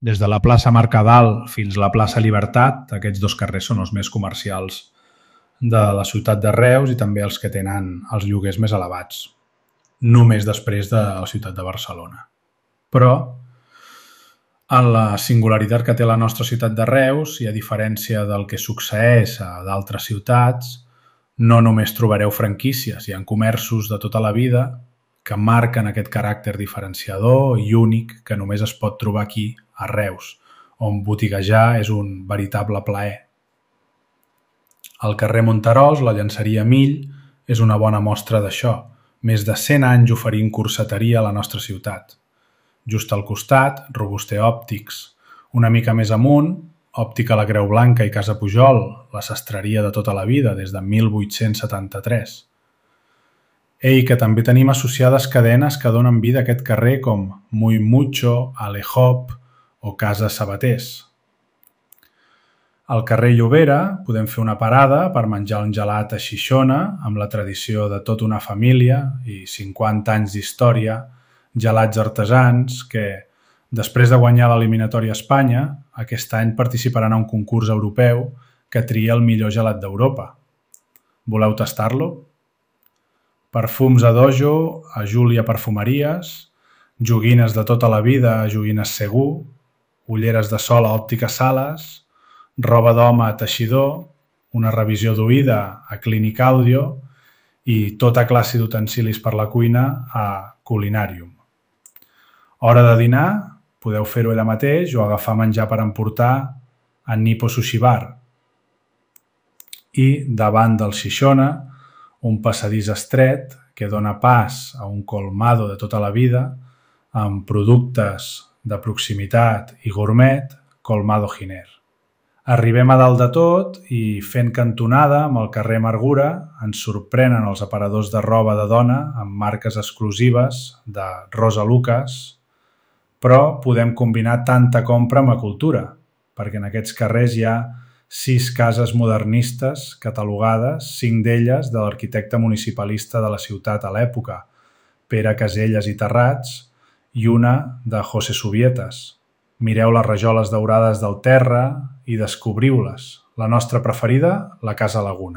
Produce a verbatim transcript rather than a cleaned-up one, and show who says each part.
Speaker 1: Des de la plaça Mercadal fins a la plaça Llibertat, aquests dos carrers són els més comercials de la ciutat de Reus i també els que tenen els lloguers més elevats, només després de la ciutat de Barcelona. Però, en la singularitat que té la nostra ciutat de Reus, i a diferència del que succeeix a d'altres ciutats, no només trobareu franquícies, hi ha comerços de tota la vida que marquen aquest caràcter diferenciador i únic que només es pot trobar aquí, a Reus, on botiguejar és un veritable plaer. Al carrer Monterols, la llanceria Mill és una bona mostra d'això, més de cent anys oferint corseteria a la nostra ciutat. Just al costat, Robuster Òptics. Una mica més amunt, Òptica La Creu Blanca i Casa Pujol, la sastreria de tota la vida, des de mil vuit-cents setanta-tres. Ei, que també tenim associades cadenes que donen vida a aquest carrer com Muy Mucho, Alehop o Casa Sabaters. Al carrer Llobera podem fer una parada per menjar un gelat a Xixona amb la tradició de tota una família i cinquanta anys d'història, gelats artesans que, després de guanyar l'eliminatòria a Espanya, aquest any participaran a un concurs europeu que tria el millor gelat d'Europa. Voleu tastar-lo? Perfums a Dojo, a Júlia Perfumeries, joguines de tota la vida a Joguines Segur, ulleres de sol a Òptica Sales, roba d'home a Teixidor, una revisió d'oïda a Clínica Audio i tota classe d'utensilis per la cuina a Culinarium. Hora de dinar? Podeu fer-ho allà mateix o agafar menjar per emportar a Nippo Sushi Bar. I davant del Xixona, un passadís estret que dona pas a un colmado de tota la vida amb productes de proximitat i gourmet, Colmado Giner. Arribem a dalt de tot i, fent cantonada amb el carrer Amargura, ens sorprenen els aparadors de roba de dona amb marques exclusives de Rosa Lucas, però podem combinar tanta compra amb la cultura, perquè en aquests carrers hi ha sis cases modernistes catalogades, cinc d'elles de l'arquitecte municipalista de la ciutat a l'època, Pere Caselles i Terrats, i una de José Subietas. Mireu les rajoles daurades del terra i descobriu-les. La nostra preferida, la Casa Laguna.